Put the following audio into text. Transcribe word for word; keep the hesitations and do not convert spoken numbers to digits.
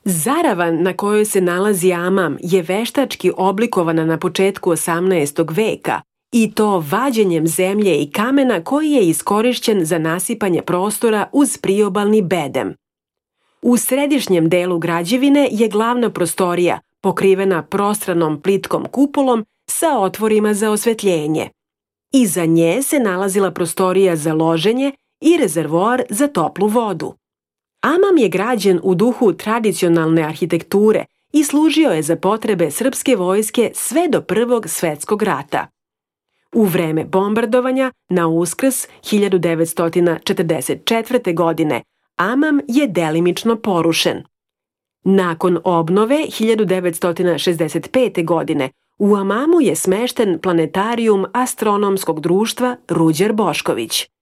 Zaravan na kojoj se nalazi Amam je veštački oblikovana na početku osamnaestog veka i to vađenjem zemlje i kamena koji je iskorišćen za nasipanje prostora uz priobalni bedem. U središnjem delu građevine je glavna prostorija pokrivena prostranom plitkom kupolom sa otvorima za osvetljenje. Iza nje se nalazila prostorija za loženje i rezervoar za toplu vodu. Amam je građen u duhu tradicionalne arhitekture i služio je za potrebe srpske vojske sve do Prvog svetskog rata. U vreme bombardovanja na Uskrs hiljadu devetsto četrdeset četvrte. godine Amam je delimično porušen. Nakon obnove hiljadu devetsto šezdeset pete. godine u Amamu je smešten planetarijum Astronomskog društva Ruđer Bošković.